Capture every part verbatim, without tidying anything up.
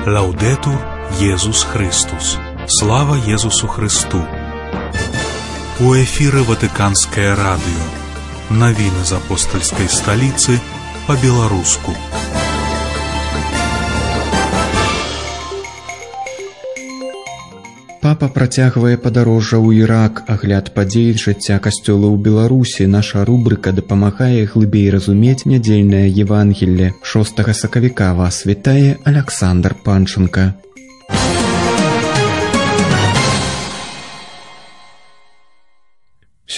Лаўдетур Езус Христус. Слава Езусу Христу. У эфіры Ватыканскае радыё. Навіны з апостальскай сталіцы па-беларуску. Папа працягвае падарожжа ў Ірак, агляд падзей жыцця касцёла ў Беларусі. Наша рубрыка дапамагае глыбей разумець нядзельнае Евангелле. шостага сакавіка вас вітае Аляксандр Панченка.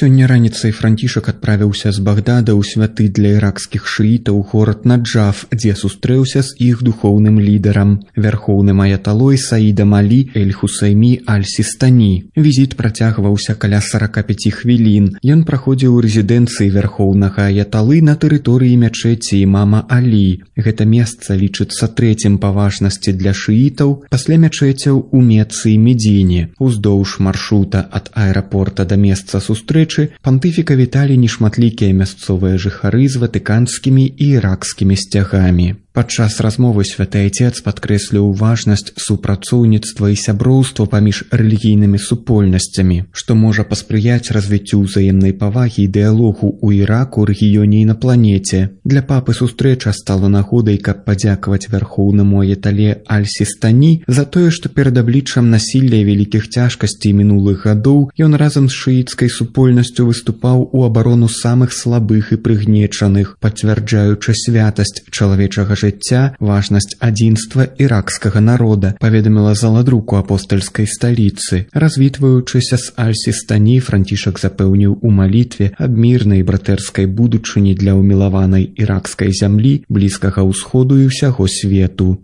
Сёння раніцай Францішак адправіўся з Багдада ў святы для іракскіх шыітаў горад Наджаф, дзе сустрэўся з іх духоўным лідарам, вярхоўным аяталой Саідам Алі эль-Хусаймі аль-Сістані. Візіт працягваўся каля сарака пяці хвілін. Ён праходзіў у рэзідэнцыі вярхоўнага аяталы на тэрыторыі мячэці імама Алі. Гэта месца лічыцца трэцім па важнасці для шыітаў пасля мячэцяў у Мецы і Медзіне. Уздоўж маршрута ад аэрапорта да месца сустрэчы пантыфіка віталі нешматлікія мясцовыя жыхары з ватыканскімі і іракскімі сцягамі. Падчас размовы святы Айцец падкрэсліў важнасць супрацоўніцтва і сяброўства паміж рэлігійнымі супольнасцямі, што можа паспрыяць развіццю ўзаемнай павагі і дыялогу ў Іраку, рэгіёне і на планеце. Для папы сустрэча стала нагодай, каб падзякаваць вярхоўнаму аятале аль-Сістані за тое, што перад абліччам насілля і вялікіх цяжкасцей мінулых гадоў ён разам з шыіцкай супольнасцю выступаў у абарону самых слабых і прыгнечаных, пацвярджаючы святасць чалавечага жыцця, важнасць адзінства іракскага народа, паведаміла заладруку апостальскай сталіцы. Развітваючыся з аль-Сістані, Францішак запэўніў у малітве аб мірнай братэрскай будучыні для ўмілаванай іракскай зямлі, блізкага ўсходу і ўсяго свету.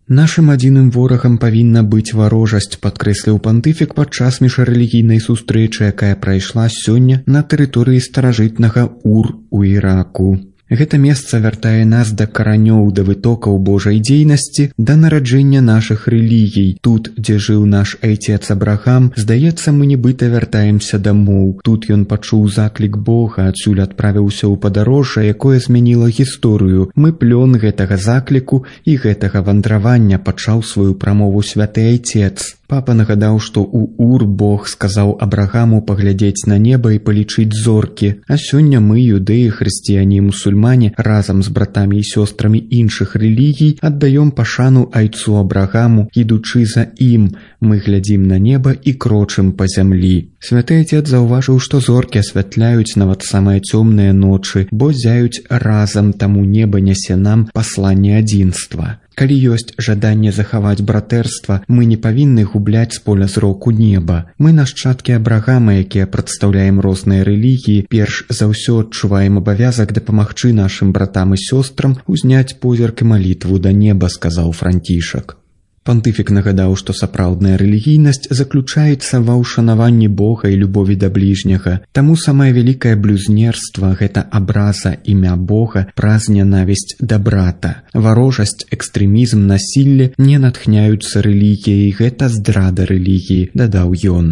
Нашым адзіным ворагам павінна быць варожасць, падкрэсліў пантыфік падчас міжрэлігійнай сустрэчы, якая прайшла сёння на тэрыторыі старажытнага Ур у Іраку. Гэта месца вяртае нас да каранёў, да вытокаў Божай дзейнасці, да нараджэння нашых рэлігій. Тут, дзе жыў наш айцец Абрахам, здаецца, мы нібыта вяртаемся дамоў. Тут ён пачуў заклік Бога, адсюль адправіўся ў падарожжа, якое змяніла гісторыю. Мы плён гэтага закліку і гэтага вандравання, пачаў сваю прамову святы Айцец. Папа нагадаў, што ў Ур Бог сказаў Абрахаму паглядзець на неба і палічыць зоркі, а сёння мы, юдэі, хрысціяне і мусульмане, разам з братамі і сёстрамі іншых рэлігій аддаём пашану айцу Абрахаму, ідучы за ім. Мы глядзім на неба і крочым па зямлі. Святы Айцец заўважыў, што зоркі асвятляюць нават самыя цёмныя ночы, бо зяюць разам, таму неба нясе нам пасланне адзінства. Калі ёсць жаданне захаваць братэрства, мы не павінны губляць з поля зроку неба. Мы нашчадкі Абрахама, якія прадстаўляем розныя рэлігіі, перш за ўсё адчуваем абавязак дапамагчы нашым братам і сёстрам узняць позірк і малітву да неба, сказаў Францішак. Пантыфік нагадаў, што сапраўдная рэлігійнасць заключаецца ва ўшанаванні Бога і любові да бліжняга. Таму самае вялікае блюзнерства – гэта абраза імя Бога праз нянавісць да брата. Варожасць, экстрэмізм, насілле не натхняюцца рэлігіяй, гэта здрада рэлігіі, дадаў ён.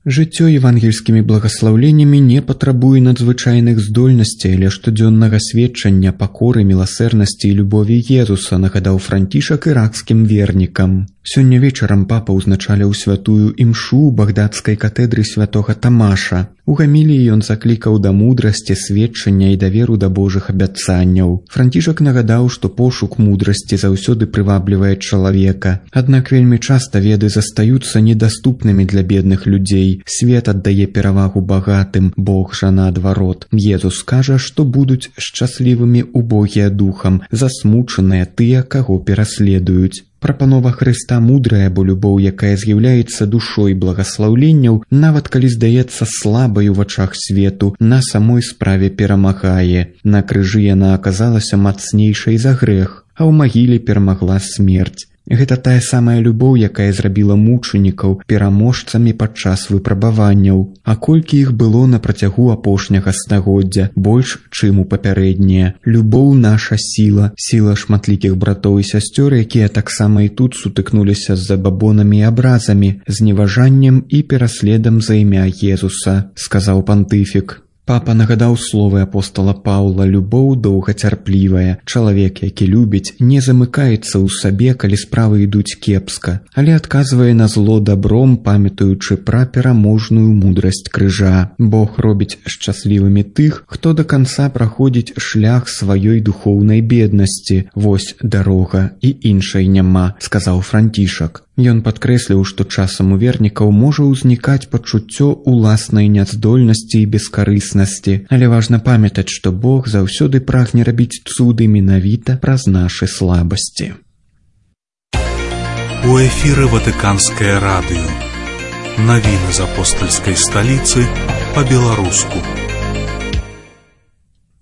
Жыццё евангельскімі благаслаўленнямі не патрабуе надзвычайных здольнасцей, але штодзённага сведчання пакоры, міласэрнасці і любові Езуса, нагадаў Францішак іракскім вернікам. Сёння вечарам папа ўзначаліў святую імшу ў багдадскай катэдры святога Тамаша. У гаміліі ён заклікаў да мудрасці, сведчання і даверу да Божых абяцанняў. Францішак нагадаў, што пошук мудрасці заўсёды прываблівае чалавека. Аднак вельмі часта веды застаюцца недаступнымі для бедных людзей. Свет аддае перавагу багатым, Бог жа наадварот. Езус кажа, што будуць шчаслівымі убогія духам, засмучаныя тыя, каго пераследуюць. Прапанова Хрыста мудрая, бо любоў, якая з'яўляецца душой благаслаўленняў, нават калі здаецца слабай у вачах свету, на самой справе перамагае. На крыжы яна аказалася мацнейшай за грэх, а ў магіле перамагла смерць. Гэта тая самая любоў, якая зрабіла мучанікаў пераможцамі падчас выпрабаванняў. А колькі іх было на працягу апошняга стагоддзя, больш, чым у папярэднія. Любоў наша сіла, сіла шматлікіх братоў і сясцёр, якія таксама і тут сутыкнуліся з забабонамі і абразамі, зневажаннем і пераследам за імя Езуса, сказаў пантыфік. Папа нагадаў словы апостала Паўла: любоў доўгацярплівая. Чалавек, які любіць, не замыкаецца ў сабе, калі справы ідуць кепска, але адказвае на зло дабром, памятаючы пра пераможную мудрасць крыжа. Бог робіць шчаслівымі тых, хто да канца праходзіць шлях сваёй духоўнай беднасці. Вось дарога, і іншай няма, сказаў Францішак. Ён падкрэсліў, што часам у вернікаў можа ўзнікаць пачуццё уласнай няздольнасці і бескарыснасці, але важна памятаць, што Бог заўсёды прагне рабіць цуды менавіта праз нашы слабасці. У эфіры Ватыканскае радыё. Навіны з апостальскай сталіцы па-беларуску.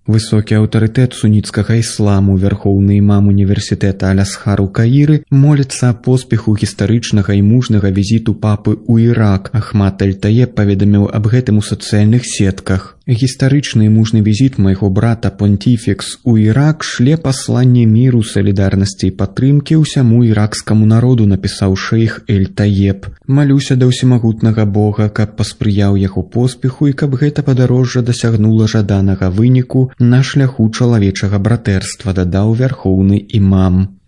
Высокі аўтарытэт суніцкага ісламу, вярхоўны імам універсітэта Аль-Азхар у Каіры, моліцца аб поспеху гістарычнага і мужнага візіту папы ў Ірак. Ахмад Аль-Таеб паведаміў аб гэтым у сацыяльных сетках. Гістарычны і мужны візіт майго брата Понтіфікс у Ірак шле пасланне міру, салідарнасці і падтрымкі ўсяму іракскаму народу, напісаў шэйх Эль-Таеб. Малюся да ўсемагутнага Бога, каб паспрыяў яго поспеху і каб гэта падарожжа дасягнула жаданага выніку на шляху чалавечага братэрства, дадаў вярхоўны імам.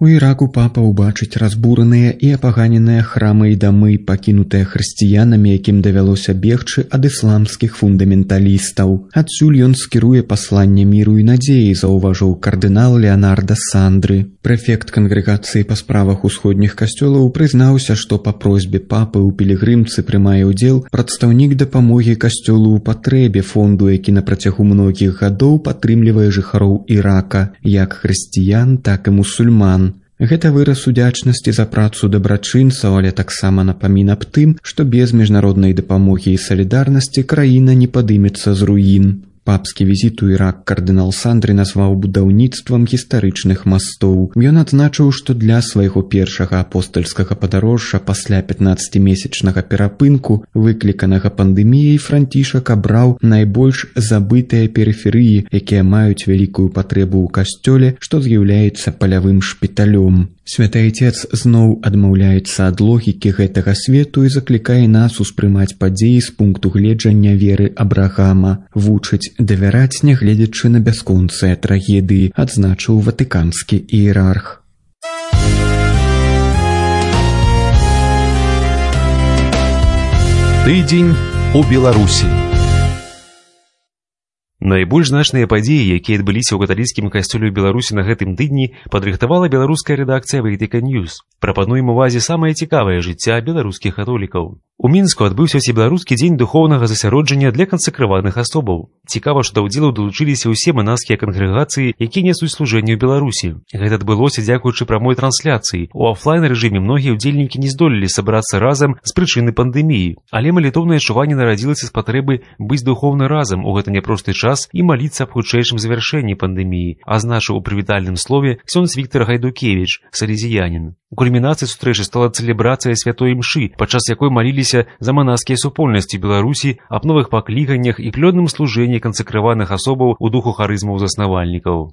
У Іраку папа ўбачыць разбураныя і апаганеныя храмы і дамы, пакінутыя хрысціянамі, якім давялося бегчы ад ісламскіх фундаменталістаў. Адсюль ён скіруе пасланне міру і надзеі, заўважыў кардынал Леонардо Сандры. Прэфект кангрэгацыі па справах усходніх касцёлаў прызнаўся, што па просьбе папы ў пілігрымцы прымае ўдзел прадстаўнік дапамогі касцёлу ў патрэбе, фонду, які на працягу многіх гадоў падтрымлівае жыхароў Ірака, як хрысціян, так і мусульман. Гэта выраз удзячнасці за працу дабрачынцаў, але таксама напамін аб тым, што без міжнароднай дапамогі і салідарнасці краіна не падымецца з руін. Папскі візіт у Ірак кардынал Сандры назваў будаўніцтвам гістарычных мастоў. Ён адзначыў, што для свайго першага апостальскага падарожжа пасля пятнаццацімесячнага перапынку, выкліканага пандэміяй, Францішак абраў найбольш забытыя перыферыі, якія маюць вялікую патрэбу ў касцёле, што з'яўляецца палявым шпіталём. Святы Айцец зноў адмаўляецца ад логікі гэтага свету і заклікае нас успрымаць падзеі з пункту гледжання веры Абрахама, вучыць давяраць, нягледзячы на бясконцыя трагедыі, адзначыў ватыканскі іерарх. Тыдзень у Беларусі. Найбольш значныя падзеі, якія адбыліся ў каталіцкім касцёле ў Беларусі на гэтым тыдні, падрыхтавала беларуская рэдакцыя Ватыкан Ньюс. Прапануем увазе самае цікавае жыцця беларускіх католікаў. У Мінску адбыўся ўсебеларускі дзень духоўнага засяроджання для кансакраваных асобаў. Цікава, што да ўдзелу далучыліся ўсе манаскія кангрэгацыі, якія нясуць служэнне ў Беларусі. Гэта адбылося дзякуючы прамой трансляцыі. У афлайн-рэжыме многія ўдзельнікі не здолелі сабрацца разам з прычыны пандэміі, але малітоўнае адчуванне нарадзілася з патрэбы быць духоўна разам у гэты няпросты час і маліцца аб хутчэйшым завяршэнні пандэміі, азначыў у прывітальным слове ксёндз Віктар Гайдукевіч, салезіянін. У кульмінацыі сустрэчы стала цэлебрацыя святой імшы, падчас якой маліліся за манаскія супольнасці Беларусі аб новых пакліканнях і плённым служэнні кансакраваных асобаў у духу харызмаў заснавальнікаў.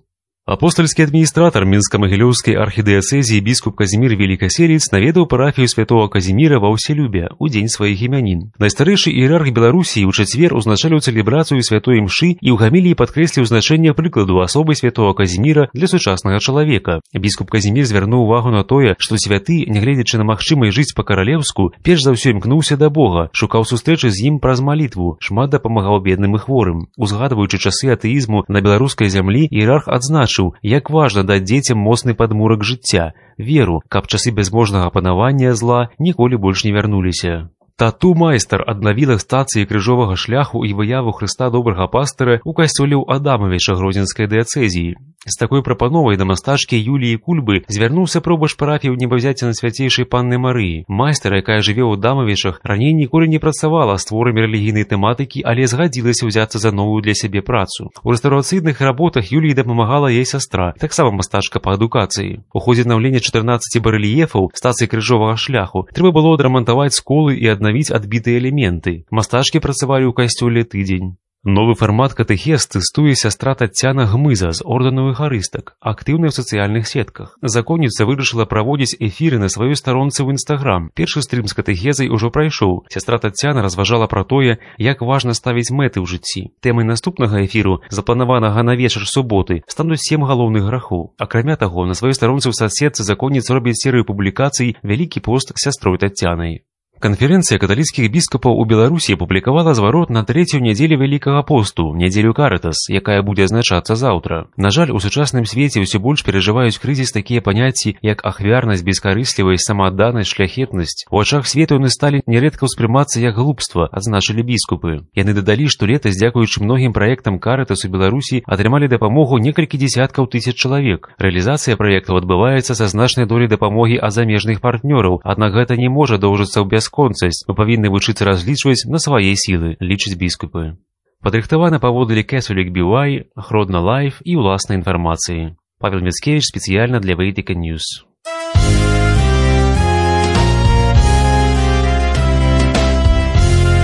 Апостальскі адміністратар Мінска-Магілёўскай архідыяцэзіі біскуп Казімір Велікаселец наведаў парафію святого Казіміра ва ўселюбе ў дзень сваіх імянін. Найстарэйшы іерарх Беларусі ў чацвер узначаліў цэлебрацыю святой імшы і ў гаміліі падкрэсліў значэнне прыкладу асобы святого Казіміра для сучаснага чалавека. Біскуп Казімір звярнуў увагу на тое, што святы, нягледзячы на магчымасць жыць па-каралеўску, перш за ўсё імкнуўся да Бога, шукаў сустрэчы з ім праз малітву, шмат дапамагаў бедным і хворым. Узгадваючы часы атэізму на беларускай зямлі, іерарх адзначыў, як важна даць дзецям моцны падмурак жыцця, веру, каб часы бязможнага панавання зла ніколі больш не вярнуліся. Тату-майстар аднавіла стацыі крыжовага шляху і выяву Хрыста добрага пастыра ў касцёле ў Адамавіча Гродзенскай дыяцэзіі. З такой прапановай да мастачкі Юліі Кульбы звярнуўся пробач парафіяў небавзяцця на свяцейшай Панны Марыі. Майстар, якая жыве ў Адамавічах, раней ніколі не працавала з творамі рэлігійнай тэматыкі, але згадзілася ўзяцца за новую для сябе працу. У рэстаўрацыйных работах Юліі дапамагала яе сястра, таксама мастачка па адукацыі. У ходзе аднаўлення чатырнаццаці барэльефаў стацыі крыжовага шляху трэба было адрамантаваць сколы і аднавіць адбітыя элементы. Мастачкі працавалі ў касцёле тыдзень. Новы фармат катэхез тэстуе сястра Таццяна Гмыза з ордэну эйхарыстак, актыўная ў сацыяльных сетках. Законніца вырашыла праводзіць эфіры на сваёй старонцы ў Інстаграм. Першы стрым з катэхезай ужо прайшоў. Сястра Таццяна разважала пра тое, як важна ставіць мэты ў жыцці. Тэмай наступнага эфіру, запланаванага на вечар суботы, стануць сем галоўных грахоў. Акрамя таго, на сваёй старонцы ў садсетцы законніца робіць серыю публікацый «Вялікі пост» з сястрой Таццянай. Канферэнцыя каталіцкіх біскупаў у Беларусі апублікавала зварот на трэцюю нядзелю Вялікага посту, нядзелю Карытас, якая будзе адзначацца заўтра. На жаль, у сучасным свеце ўсё больш перажываюць крызіс такія паняцці, як ахвярнасць, бескарыслівасць, самаадданасць, шляхетнасць. У ачах свету яны сталі нярэдка ўспрымацца як глупства, адзначылі біскупы. Яны дадалі, што летась, дзякуючы многім праектам Карытас у Беларусі, атрымалі дапамогу некалькі дзесяткаў тысяч чалавек. Рэалізацыя праектаў адбываецца са значнай доляй дапамогі ад замежных партнёраў, аднак гэта не можа доўжыцца ў бясконцасць. Мы павінны вучыцца разлічваць на свае сілы, лічаць біскупы. Падрыхтавана паводле Catholic би вай, Гродна Лайф і ўласнай інфармацыі. Павел Міцкевіч спецыяльна для Vatican News.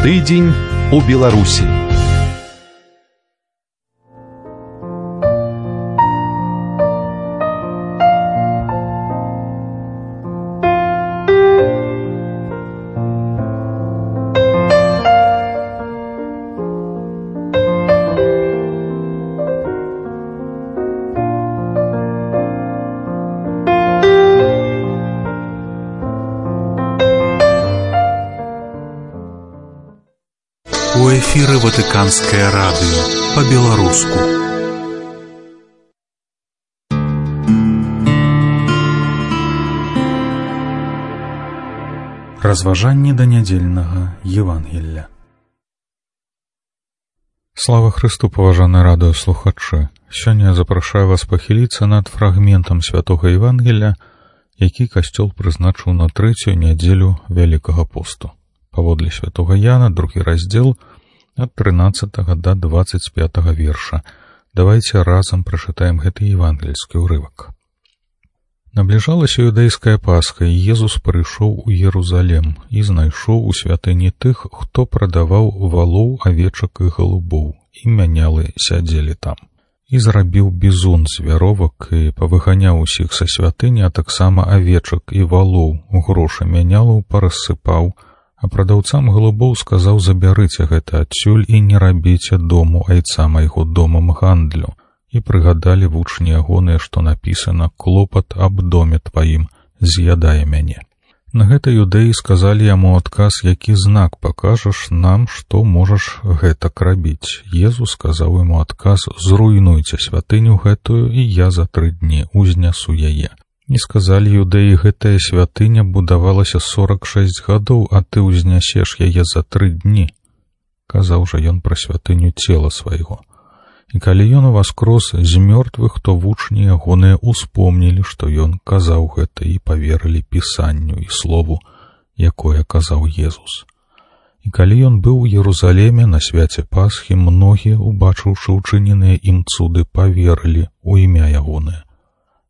Тыдзень у Беларусі. У эфіры Ватыканскае радыё па-беларуску. Разважанне да нядзельнага Евангелля. Слава Христу, паважаныя радыёслухачы! Сёння я запрашаю вас пахіліцца над фрагментам святога Евангелля, які касцёл прызначыў на трэцюю нядзелю Вялікага посту. Паводле святога Яна, другі раздзел, ад трынаццатага да дваццаць пятага верша. Давайце разам прачытаем гэты евангельскі ўрывак. Набліжалася юдэйская Пасха, і Езус прыйшоў у Єрузалем і знайшоў у святыні тых, хто прадаваў валоў, авечак і галубоў, і мянялы сядзелі там. І зрабіў бізун з вяровак і павыганяў усіх са святыні, а таксама авечак і валоў, грошы мянялаў парассыпаў, а прадаўцам галубоў сказаў: забярыце гэта адсюль і не рабіце дому айца майго домам гандлю. І прыгадалі вучні ягоныя, што напісана: клопат аб доме тваім з'ядае мяне. На гэта юдэі сказалі яму адказ: які знак пакажаш нам, што можаш гэтак рабіць? Езус сказаў яму адказ: зруйнуйце святыню гэтую, і я за тры дні узнясу яе. І сказалі юдэі: гэтая святыня будавалася сорак шэсць гадоў, а ты ўзнясеш яе за тры дні. Казаў жа ён пра святыню цела свайго. І калі ён уваскрос з мёртвых, то вучні ягоныя успомнілі, што ён казаў гэта, і паверылі пісанню і слову, якое казаў Езус. І калі ён быў у Єрузалеме на свяце Пасхі, многія, убачыўшы учыненыя ім цуды, паверылі ў імя ягонае.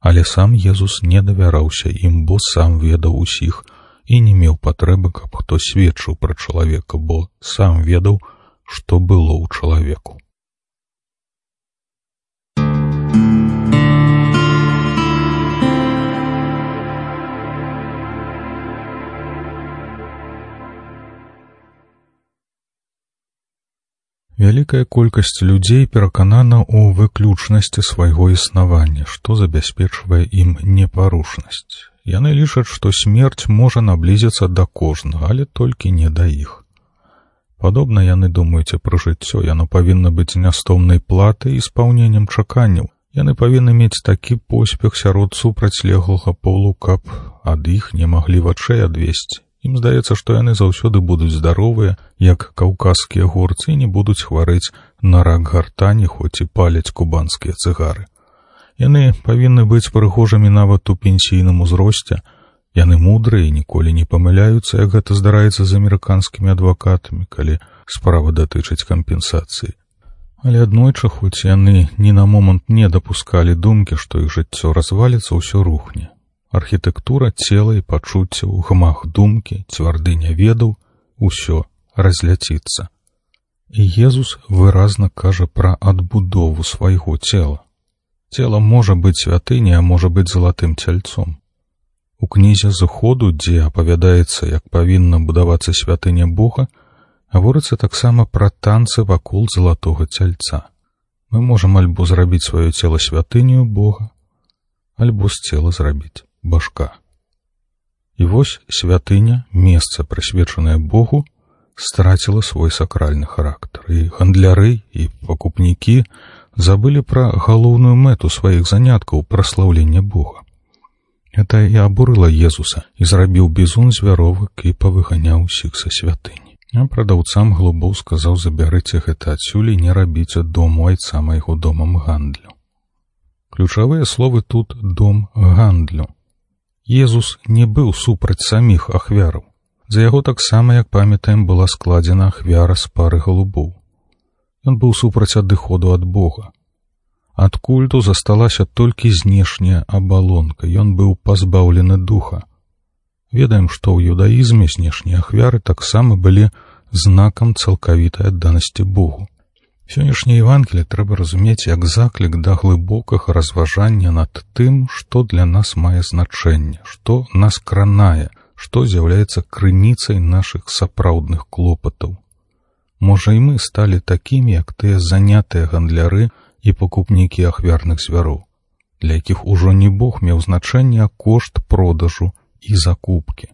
Але сам Езус не давяраўся ім, бо сам ведаў усіх і не меў патрэбы, каб хто сведчыў пра чалавека, бо сам ведаў, што было ў чалавеку. Вялікая колькасць людзей пераканана ў выключнасці свайго існавання, што забяспечвае ім непарушнасць. Яны лічаць, што смерць можа наблізіцца да кожнага, але толькі не да іх. Падобна яны думаюць пра жыццё, яно павінна быць нястомнай платай і спаўненнем чаканняў. Яны павінны мець такі поспех сярод супрацьлеглага полу, каб ад іх не маглі вачэй адвесці, Ім здаецца, што яны заўсёды будуць здаровыя, як каўказскія горцы, і не будуць хварэць на рак гартані, хоць і паляць кубанскія цыгары. Яны павінны быць прыгожымі нават у пенсійным узросце. Яны мудрыя і ніколі не памыляюцца, як гэта здараецца з амерыканскімі адвакатамі, калі справа датычыць кампенсацыі. Але аднойчы, хоць яны ні на момант не дапускалі думкі, што іх жыццё разваліцца, ўсё рухне. Архітэктура цела і пачуццяў, гмах думкі, цвярдыня ведаў, усё разляціцца. І Езус выразна кажа пра адбудову свайго цела. Цела можа быць святыняй, а можа быць залатым цяльцом. У кнізе «Зыходу», дзе апавядаецца, як павінна будавацца святыня Бога, гаворыцца таксама пра танцы вакол залатога цяльца. Мы можам альбо зрабіць сваё цела святыню Бога, альбо з цела зрабіць башка. І вось святыня, месца, прысвечанае Богу, страціла свой сакральны характар. І гандляры, і пакупнікі забылі пра галоўную мэту сваіх заняткаў, праслаўлення Бога. Гэта і абурыла Езуса, і зрабіў бізун звяровак і павыганяў усіх са святыні. А прадаўцам глыбоў сказаў: забярыце гэта адсюль і не рабіце дому айца майго домам гандлю. Ключавыя словы тут «дом гандлю». Езус не быў супраць саміх ахвяраў. За яго таксама, як памятаем, была складзена ахвяра з пары галубоў. Ён быў супраць адыходу ад Бога. Ад культу засталася толькі знешняя абалонка, ён быў пазбаўлены духа. Ведаем, што ў юдаізме знешнія ахвяры таксама былі знакам цалкавітай адданасці Богу. Сённяшняе Евангелие трэба разумець як заклік да глыбокага разважання над тым, што для нас мае значэнне, што нас кранае, што з'яўляецца крыніцай нашых сапраўдных клопатаў. Можа, і мы сталі такімі, як тыя занятыя гандляры і пакупнікі ахвярных звяроў, для якіх ужо не Бог меў значэнне, а кошт продажу і закупкі.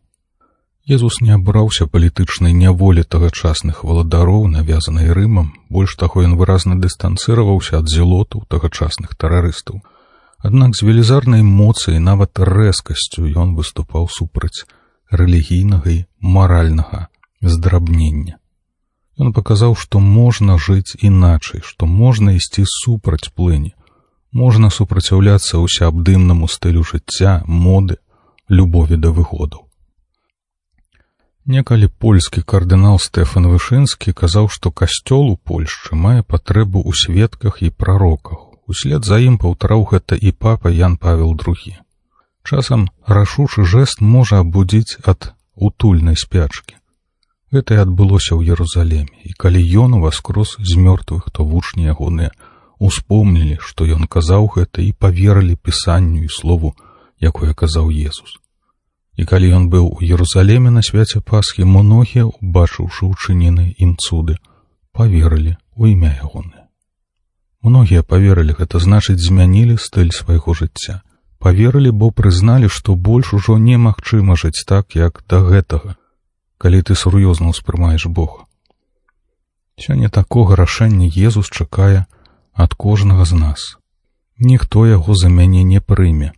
Езус не абраўся палітычнай няволі тагачасных валадароў, навязанай Рымам, больш таго ён выразна дыстанцыраваўся ад зелотаў тагачасных тэрарыстаў. Аднак з велізарнай моцай і нават рэзкасцю ён выступаў супраць рэлігійнага і маральнага здрабнення. Ён паказаў, што можна жыць іначай, што можна ісці супраць плыні, можна супраціўляцца ўсеабдымнаму стылю жыцця, моды, любові да выгодаў. Некалі польскі кардынал Стэфан Вышынскі казаў, што касцёл у Польшчы мае патрэбу ў сведках і прароках. Услед за ім паўтараў гэта і папа Ян Павел другі. Часам рашучы жэст можа абудзіць ад утульнай спячкі. Гэта і адбылося ў Ерусалеме, і калі ён уваскрос з мёртвых, то вучні ягоныя успомнілі, што ён казаў гэта, і паверылі пісанню і слову, якое казаў Езус. І калі ён быў у Ерусалеме на свяце Пасхі, многія, убачыўшы учыненыя ім цуды, паверылі ў імя ягонае. Многія паверылі, гэта значыць змянілі стыль свайго жыцця. Паверылі, бо прызналі, што больш ужо немагчыма жыць так, як да гэтага, калі ты сур'ёзна ўспрымаеш Бога. Сёння такога рашэння Езус чакае ад кожнага з нас. Ніхто яго за мяне не прыме.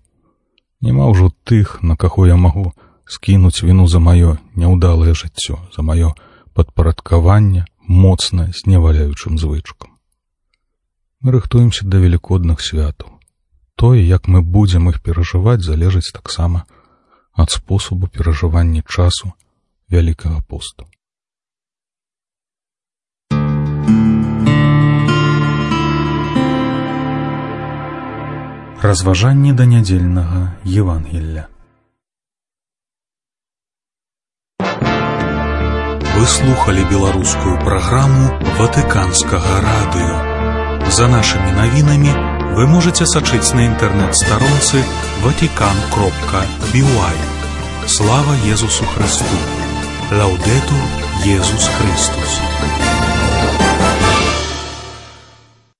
Няма ўжо тых, на каго я магу скінуць віну за маё няўдалае жыццё, за маё падпарадкаванне моцна зневаляючым звычкам. Мы рыхтуемся да велікодных святаў. Тое, як мы будзем іх перажываць, залежыць таксама ад спосабу перажывання часу Вялікага посту. Разважанне да нядзельнага Евангелля. Вы слухали беларускую праграму Ватыканскага радыё. За нашымі навінамі вы можете сачыць на інтэрнэт-старонцы ватикан кропка би уай. Слава Езусу Христу! Лаудетур Иисус Христос.